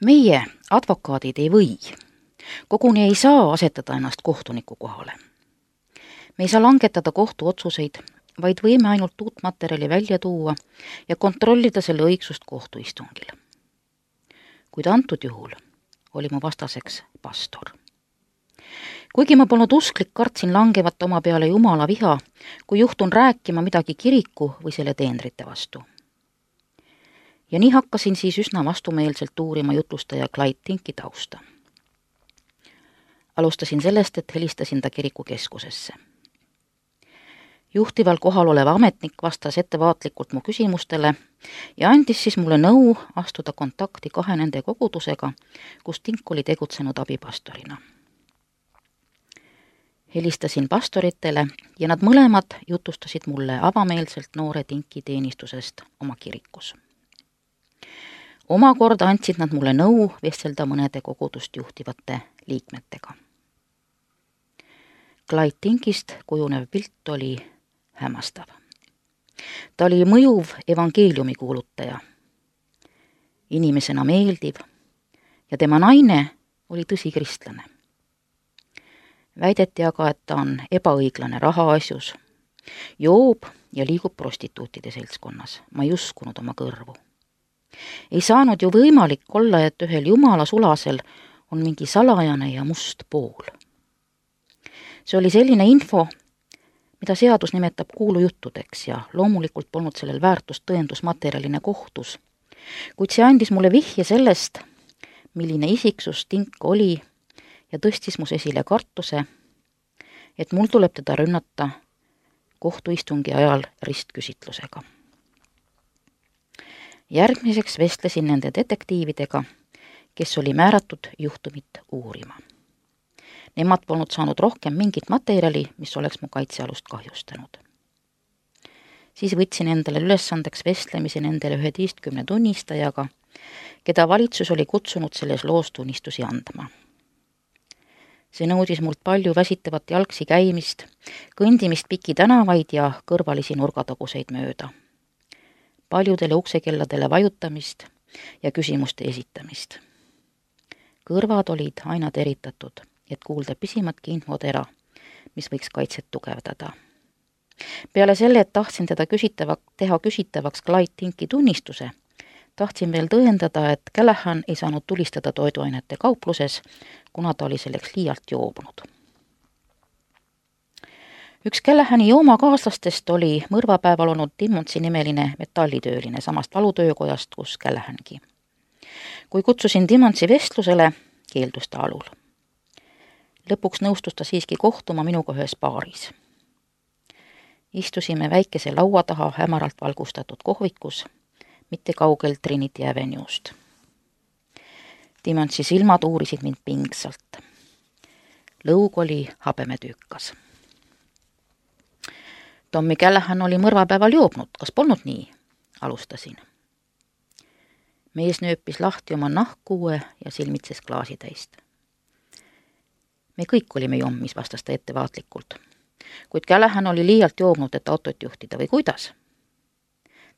Meie, advokaadid, ei või, koguni ei saa asetada ennast kohtuniku kohale. Me ei saa langetada kohtuotsuseid, vaid võime ainult uut materjali välja tuua ja kontrollida selle õigsust kohtuistungil. Kuid antud juhul oli mu vastaseks pastor. Kuigi ma polnud usklik, kartsin langevat oma peale Jumala viha, kui juhtun rääkima midagi kiriku või selle teenrite vastu. Ja nii hakkasin siis üsna vastumeelselt uurima jutlustaja Clyde Tinki tausta. Alustasin sellest, et helistasin ta kirikukeskusesse. Juhtival kohal olev ametnik vastas ettevaatlikult mu küsimustele ja andis siis mulle nõu astuda kontakti 2 nende kogudusega, kus Tink oli tegutsenud abipastorina. Helistasin pastoritele ja nad mõlemad jutustasid mulle avameelselt noore Tinki teenistusest oma kirikus. Omakorda andsid nad mulle nõu vestelda mõnede kogudust juhtivate liikmetega. Clyde Tinkist kujunev pilt oli hämmastav. Ta oli mõjuv evangeeliumi kuulutaja, inimesena meeldiv ja tema naine oli tõsikristlane. Väideti aga, et ta on ebaõiglane rahaasjus, joob ja liigub prostituutide seltskonnas. Ma ei uskunud oma kõrvu. Ei saanud ju võimalik olla, et ühel jumala sulasel on mingi salajane ja must pool. See oli selline info, mida seadus nimetab kuulujuttudeks ja loomulikult polnud sellel väärtust tõendusmaterjalina kohtus, kuid see andis mulle vihje sellest, milline isiksus Tink oli ja tõstis mus esile kartuse, et mul tuleb teda rünnata kohtuistungi ajal ristküsitlusega. Järgmiseks vestlesin nende detektiividega, kes oli määratud juhtumit uurima. Nemad polnud saanud rohkem mingit materjali, mis oleks mu kaitsealust kahjustanud. Siis võtsin endale ülesandeks vestlemise nendele 11 tunnistajaga, keda valitsus oli kutsunud selles loos tunnistusi andma. See nõudis mult palju väsitavat jalgsi käimist, kõndimist piki tänavaid ja kõrvalisi nurgataguseid mööda. Paljudele uksekelladele vajutamist ja küsimuste esitamist. Kõrvad olid aina teritatud, et kuulda pisimatki infotera, mis võiks kaitset tugevdada. Peale selle, et tahtsin teda teha küsitavaks Clyde Tinki tunnistuse, tahtsin veel tõendada, et Callahan ei saanud tulistada toiduainete kaupluses, kuna ta oli selleks liialt joobunud. Üks Callahani joomakaaslastest oli mõrvapäeval olnud Timmonsi nimeline metallitööline samast valutöökojast, kus Callahangi. Kui kutsusin Timmonsi vestlusele, keeldus ta alul. Lõpuks nõustus ta siiski kohtuma minuga ühes baaris. Istusime väikese laua taha hämaralt valgustatud kohvikus, mitte kaugel Trinity Avenue'st. Timmonsi silmad uurisid mind pingsalt. Lõug oli habemetüükas. Tommy Callahan oli mõrvapäeval joobnud, kas polnud nii? Alustasin. Mees nööpis lahti oma nahkkuue ja silmitses klaasitäist. Me kõik olime jommis, vastas ta ettevaatlikult. Kuid Callahan oli liialt joobnud, et autot juhtida või kuidas?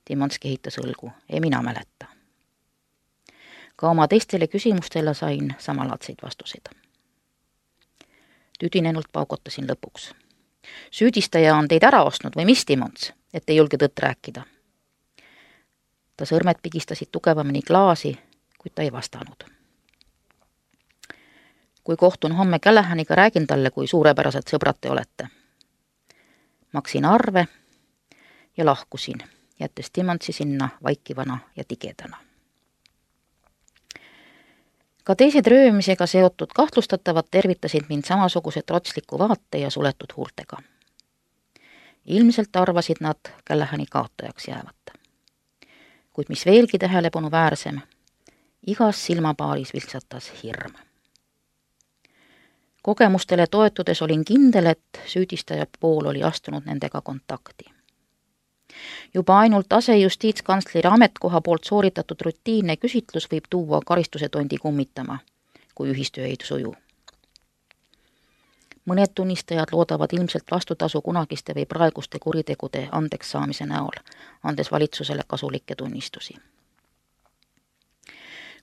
Timmons kehitas õlgu, ei mina mäleta. Ka oma teistele küsimustele sain samalaadseid vastuseid. Tüdinenult paukotasin lõpuks. Süüdistaja on teid ära ostnud või mis, Timmons, et ei julge tõtt rääkida? Ta sõrmed pigistasid tugevamini klaasi, kuid ta ei vastanud. Kui kohtun homme Callahaniga, räägin talle, kui suurepärased sõbrad te olete. Maksin arve ja lahkusin, jättes Timmonsi sinna vaikivana ja tigedana. Ka teised röömisega seotud kahtlustatavad tervitasid mind samasuguse trotsliku vaate ja suletud huultega. Ilmselt arvasid nad Callahani kaotajaks jäävat. Kuid mis veelgi tähelepanu väärsem, igas silmapaaris viltsatas hirm. Kogemustele toetudes olin kindel, et süüdistaja pool oli astunud nendega kontakti. Juba ainult asejustiitskantsleri ametkoha poolt sooritatud rutiinne küsitlus võib tuua karistuse tondi kummitama, kui ühistöö ei suju. Mõned tunnistajad loodavad ilmselt vastutasu kunagiste või praeguste kuritegude andeks saamise näol, andes valitsusele kasulikke tunnistusi.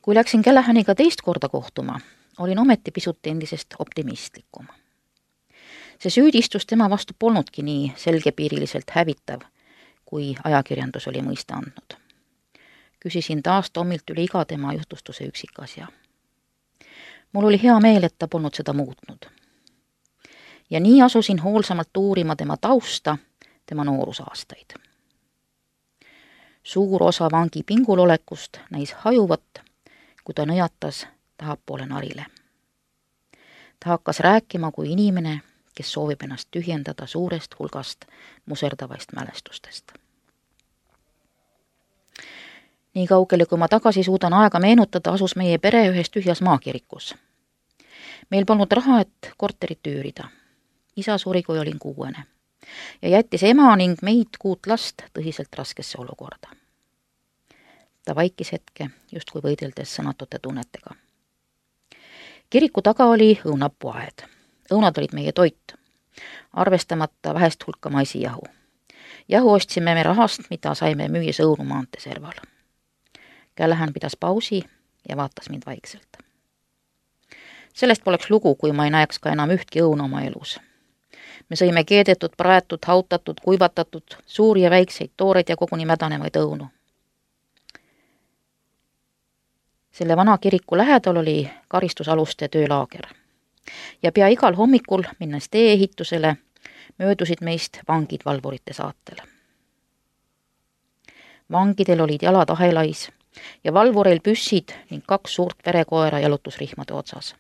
Kui läksin Callahaniga teist korda kohtuma, olin ometi pisut endisest optimistlikum. See süüdistus tema vastu polnudki nii selgepiiriliselt hävitav, kui ajakirjandus oli mõista andnud. Küsisin taas Tomilt üle iga tema juhtustuse üksikasja. Mul oli hea meel, et ta polnud seda muutnud. Ja nii asusin hoolsamalt uurima tema tausta, tema noorusaastaid. Suur osa vangi pingulolekust näis hajuvat, kui ta nõjatas tahapoole narile. Ta hakkas rääkima kui inimene, kes soovib ennast tühjendada suurest hulgast muserdavaist mälestustest. Nii kaugele, kui ma tagasi suudan aega meenutada, asus meie pere ühes tühjas maakirikus. Meil polnud raha, et korterit üürida. Isa suri, kui olin 6. ja jättis ema ning meid 6 last tõsiselt raskesse olukorda. Ta vaikis hetke, justkui võideldes sõnatute tunnetega. Kiriku taga oli õunapuaed. Õunad olid meie toit, arvestamata vähest hulka maisijahu. Jahu ostsime me rahast, mida saime müües õunu maanteeserval. Callahan pidas pausi ja vaatas mind vaikselt. Sellest poleks lugu, kui ma ei näeks ka enam ühtki õuna oma elus. Me sõime keedetud, praetud, hautatud, kuivatatud, suuri ja väikseid, tooreid ja koguni mädanevaid õunu. Selle vana kiriku lähedal oli karistusaluste töölaager. Ja pea igal hommikul, minnes tee-ehitusele, möödusid meist vangid valvurite saatel. Vangidel olid jalad ahelais ja valvureil püssid ning 2 suurt verekoera jalutusrihmade otsas.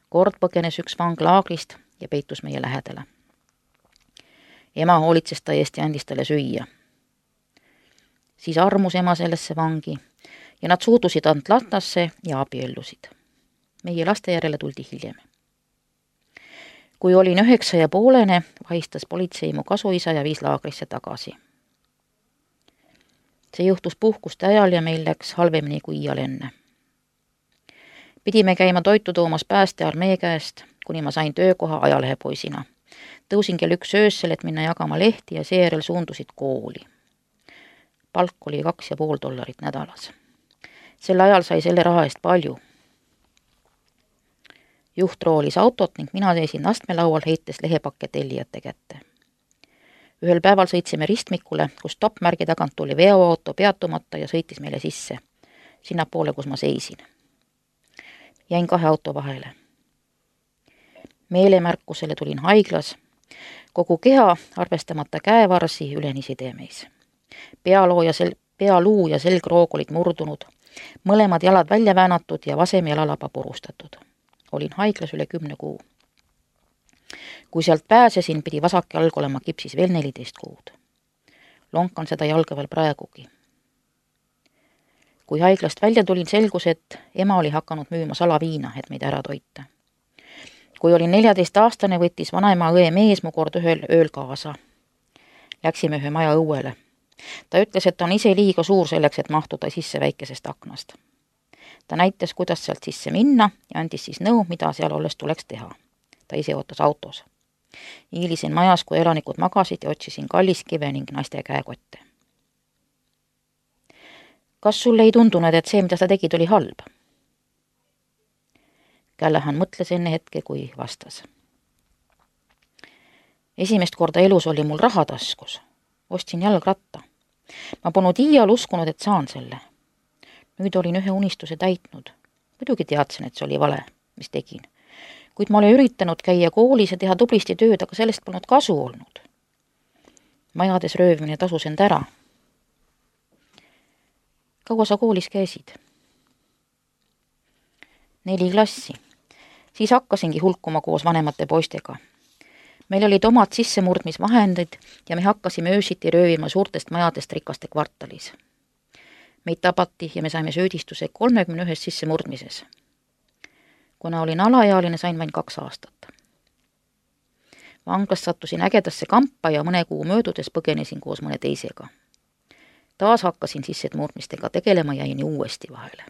Kord põgenes üks vang laagrist ja peitus meie lähedale. Ema hoolitses ta eest ja andis talle süüa. Siis armus ema sellesse vangi ja nad suudusid Atlantasse ja abiellusid. Meie laste järele tuldi hiljem. Kui olin 9,5, vahistas politsei mu kasuisa ja viis laagrisse tagasi. See juhtus puhkuste ajal ja meil läks halvemini kui iial enne. Pidime käima toitu toomas päästearmee käest, kuni ma sain töökoha ajalehepoisina. Tõusin kell 1 öössel, et minna jagama lehti ja seejärel suundusid kooli. Palk oli $2,5 nädalas. Sel ajal sai selle raha eest palju. Juht roolis autot ning mina seisin astmelaual heites lehepakke tellijate kätte. Ühel päeval sõitsime ristmikule, kus stoppmärgi tagant tuli veoauto peatumata ja sõitis meile sisse, sinnapoole, kus ma seisin. Jäin 2 auto vahele. Meelemärkusele tulin haiglas, kogu keha, arvestamata käevarsi, üleni sidemeis. Pealuu ja selgroog olid murdunud, mõlemad jalad välja väänatud ja vasem jalalaba purustatud. Olin haiglas üle 10 kuu. Kui sealt pääsesin, pidi vasak jalg olema kipsis veel 14 kuud. Lonkan seda jalga veel praegugi. Kui haiglast välja tulin, selgus, et ema oli hakanud müüma salaviina, et meid ära toita. Kui olin 14-aastane, võttis vanaema õe mees mu kord ühel ööl kaasa. Läksime ühe maja õuele. Ta ütles, et on ise liiga suur selleks, et mahtuda sisse väikesest aknast. Ta näitas, kuidas sealt sisse minna ja andis siis nõu, mida seal olles tuleks teha. Ta ise ootas autos. Hiilisin majas, kui elanikud magasid ja otsisin kalliskive ning naiste käekotte. Kas sulle ei tundunud, et see, mida sa tegid, oli halb? Callahan mõtles enne hetke, kui vastas. Esimest korda elus oli mul raha taskus. Ostsin jalgratta. Ma polnud iial uskunud, et saan selle. Nüüd olin ühe unistuse täitnud. Muidugi teadsin, et see oli vale, mis tegin. Kuid ma olen üritanud käia koolis ja teha tublisti tööd, aga sellest polnud kasu olnud. Majades röövmine tasus end ära. Kaua sa koolis käisid? 4 klassi. Siis hakkasingi hulkuma koos vanemate poistega. Meil olid omad sissemurdmisvahendid ja me hakkasime öösiti röövima suurtest majadest rikaste kvartalis. Meid tabati ja me saime süüdistuse 31 sissemurdmises. Kuna olin alaealine, sain vain 2 aastat. Vanglast sattusin ägedasse kampa ja mõne kuu möödudes põgenesin koos mõne teisega. Taas hakkasin sissemurdmistega tegelema ja jäin uuesti vahele.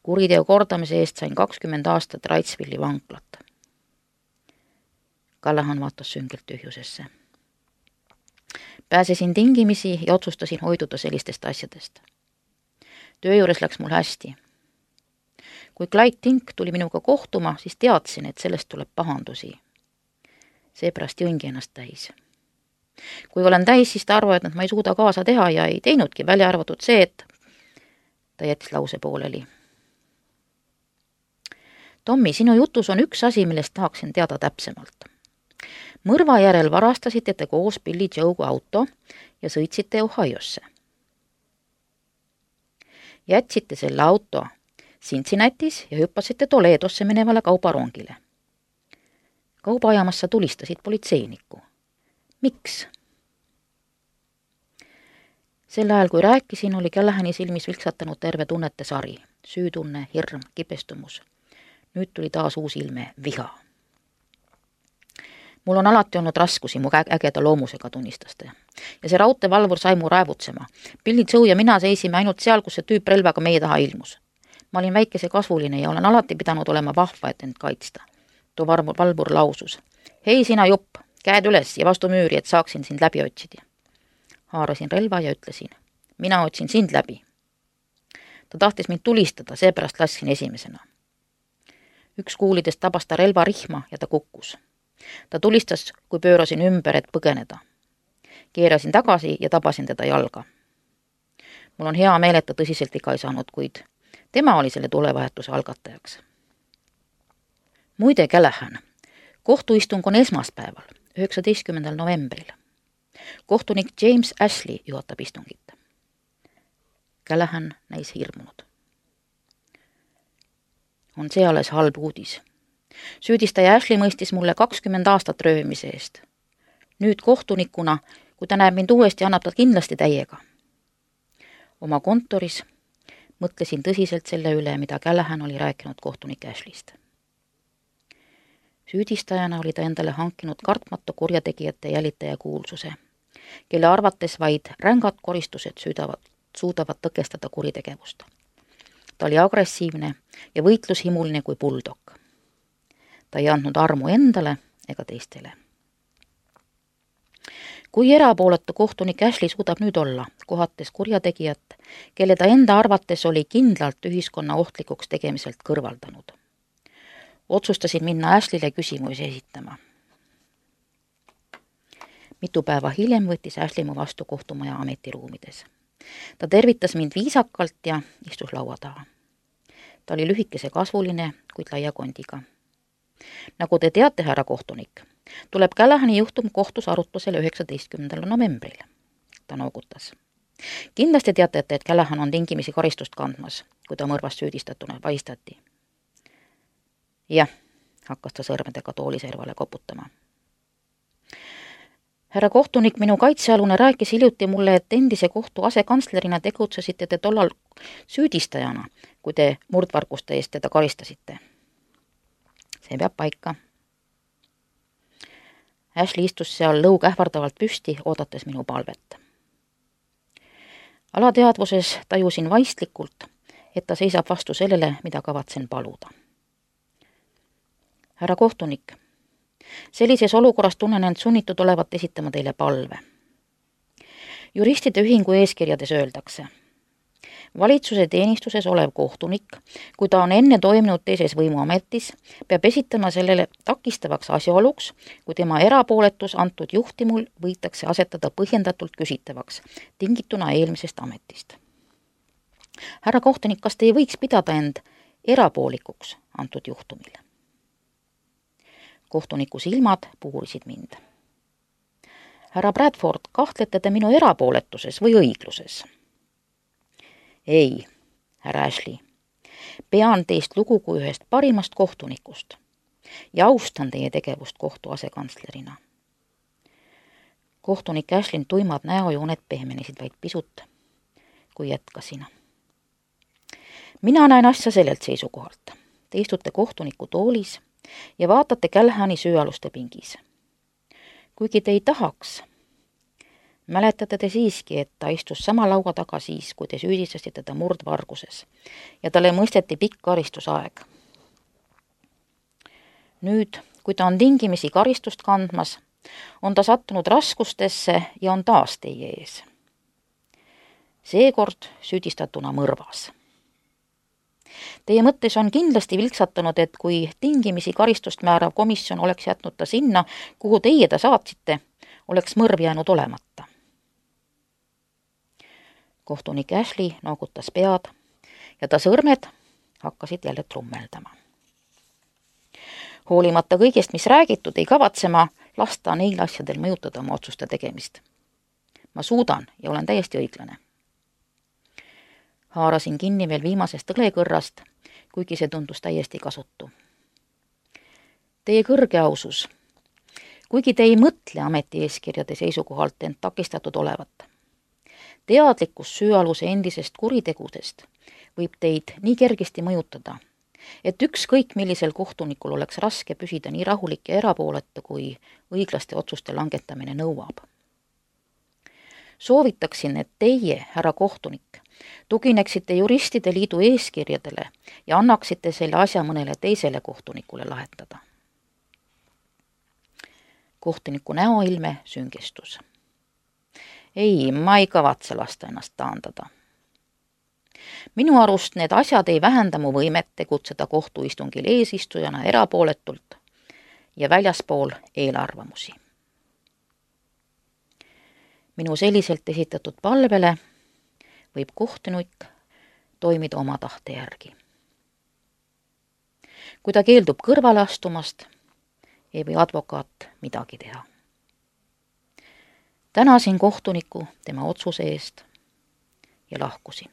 Kuriteo kordamise eest sain 20 aastat Wrightsvilli vanglat. Callahan vaatas süngelt tühjusesse. Pääsesin tingimisi ja otsustasin hoiduda sellistest asjadest. töö juures läks mul hästi. Kui Clyde Tink tuli minuga kohtuma, siis teadsin, et sellest tuleb pahandusi. Seepärast jõingi ennast täis. Kui olen täis, siis ta arvab, et ma ei suuda kaasa teha ja ei teinudki, välja arvatud see, et ta jättis lause pooleli. Tommi, sinu jutus on üks asi, millest tahaksin teada täpsemalt. Mõrva järel varastasite te koos Billy Joe'ga auto ja sõitsite Ohiosse. Jätsite selle auto Cincinnatis ja hüppasite Toledosse minevale kaubarongile. Kaubaajamassa tulistasid politseinikku. Miks? Sel ajal, kui rääkisin, oli Callahani silmis vilksatanud terve tunnete sari. Süütunne, hirm, kibestumus. Nüüd tuli taas uus ilme, viha. Mul on alati olnud raskusi mu ägeda loomusega, tunnistas ta. Ja see raudteevalvur sai mu raevutsema. Billy Joe ja mina seisime ainult seal, kus see tüüp relvaga meie taha ilmus. Ma olin väikese kasvuline ja olen alati pidanud olema vahva, et end kaitsta. Too valvur lausus. Hei sina jupp, käed üles ja vastu müüri, et saaksin sind läbi otsida. Haarasin relva ja ütlesin, mina otsin sind läbi. Ta tahtis mind tulistada, seepärast lasin esimesena. Üks kuulidest tabas ta relva rihma ja ta kukkus. Ta tulistas, kui pöörasin ümber, et põgeneda. Keerasin tagasi ja tabasin teda jalga. Mul on hea meel, et ta tõsiselt viga ei saanud, kuid tema oli selle tulevahetuse algatajaks. Muide, Callahan, kohtuistung on esmaspäeval, 19. novembril. Kohtunik James Ashley juhatab istungit. Callahan näis hirmunud. On see alles halb uudis. Süüdistaja Ashley mõistis mulle 20 aastat röövimise eest. Nüüd kohtunikuna, kui ta näeb mind uuesti, annab ta kindlasti täiega. Oma kontoris mõtlesin tõsiselt selle üle, mida Callahan oli rääkinud kohtunik Ashleyst. Süüdistajana oli ta endale hankinud kartmatu kurjategijate jälitaja kuulsuse, kelle arvates vaid rängad koristused suudavad tõkestada kuritegevust. Ta oli agressiivne ja võitlushimuline kui buldog. Ta ei andnud armu endale ega teistele. Kui erapooletu kohtunik Ashley suudab nüüd olla, kohates kurjategijat, kelle ta enda arvates oli kindlalt ühiskonna ohtlikuks tegemiselt kõrvaldanud. Otsustasin minna Ashley'le küsimusi esitama. Mitu päeva hiljem võttis Ashley mu vastu kohtumaja ametiruumides. Ta tervitas mind viisakalt ja istus laua taha. Ta oli lühikese kasvuline, kuid laia kondiga. Nagu te teate, härra kohtunik, tuleb Callahani juhtum kohtus arutlusele 19. novembril. Ta noogutas. Kindlasti teate, et Callahan on tingimisi karistust kandmas, kui ta mõrvast süüdistatuna vaistati. Jah, hakkas ta sõrmedega tooliservale koputama. Härra kohtunik, minu kaitsealune rääkis hiljuti mulle, et endise kohtu asekantslerina tegutsesite te tollal süüdistajana, kui te murdvarguste eest teda karistasite. See peab paika. Ashley istus seal lõug ähvardavalt püsti, oodates minu palvet. Alateadvuses tajusin vaistlikult, et ta seisab vastu sellele, mida kavatsen paluda. Härra kohtunik, sellises olukorras tunnen end sunnitud olevat esitama teile palve. Juristide ühingu eeskirjades öeldakse, valitsuse teenistuses olev kohtunik, kui ta on enne toiminud teises võimuametis, peab esitama sellele takistavaks asjaoluks, kui tema erapooletus antud juhtimul võitakse asetada põhjendatult küsitavaks, tingituna eelmisest ametist. Härra kohtunik, kas te ei võiks pidada end erapoolikuks antud juhtumil? Kohtuniku silmad puurisid mind. Härra Bradford, kahtlete te minu erapooletuses või õigluses? Ei, härra Ashley. Pean teist lugu kui ühest parimast kohtunikust ja austan teie tegevust kohtu asekantslerina. Kohtunik Ashley tuimad näojooned pehmenesid vaid pisut, kui jätkasin. Mina näen asja sellelt seisukohalt. Te istute kohtuniku toolis ja vaatate Callahani süüaluste pingis. Kuigi te ei tahaks, mäletate te siiski, et ta istus sama laua taga siis, kui te süüdistasite teda murdvarguses ja talle mõisteti pikk karistusaeg. Nüüd, kui ta on tingimisi karistust kandmas, on ta sattunud raskustesse ja on taas teie ees. seekord süüdistatuna mõrvas. Teie mõttes on kindlasti vilksatanud, et kui tingimisi karistust määrav komisjon oleks jätnud ta sinna, kuhu teie ta saatsite, oleks mõrv jäänud olemata. Kohtunik Ashley noogutas pead ja ta sõrmed hakkasid jälle trummeldama. Hoolimata kõigest, mis räägitud, ei kavatse ma lasta neil asjadel mõjutada oma otsuste tegemist. Ma suudan ja olen täiesti õiglane. Haarasin kinni veel viimasest õlekõrrast, kuigi see tundus täiesti kasutu. Teie kõrge ausus, kuigi te ei mõtle ametieeskirjade seisukohalt end takistatud olevat, teadlikkus süüaluse endisest kuritegudest võib teid nii kergesti mõjutada, et ükskõik millisel kohtunikul oleks raske püsida nii rahulik ja erapooletu, kui õiglaste otsuste langetamine nõuab. Soovitaksin, et teie, härra kohtunik, tugineksite juristide liidu eeskirjadele ja annaksite selle asja mõnele teisele kohtunikule lahendada. Kohtuniku näoilme süngestus. Ei, ma ei kavatse lasta ennast taandada. Minu arust need asjad ei vähenda mu võimet tegutseda kohtuistungil eesistujana erapooletult ja väljaspool eelarvamusi. Minu selliselt esitatud palvele võib kohtunik toimida oma tahte järgi. Kui ta keeldub kõrvale astumast, ei või advokaat midagi teha. Tänasin kohtuniku tema otsuse eest ja lahkusin.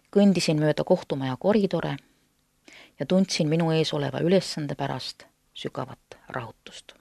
Kõndisin mööda kohtumaja koridore ja tundsin minu ees oleva ülesande pärast sügavat rahutust.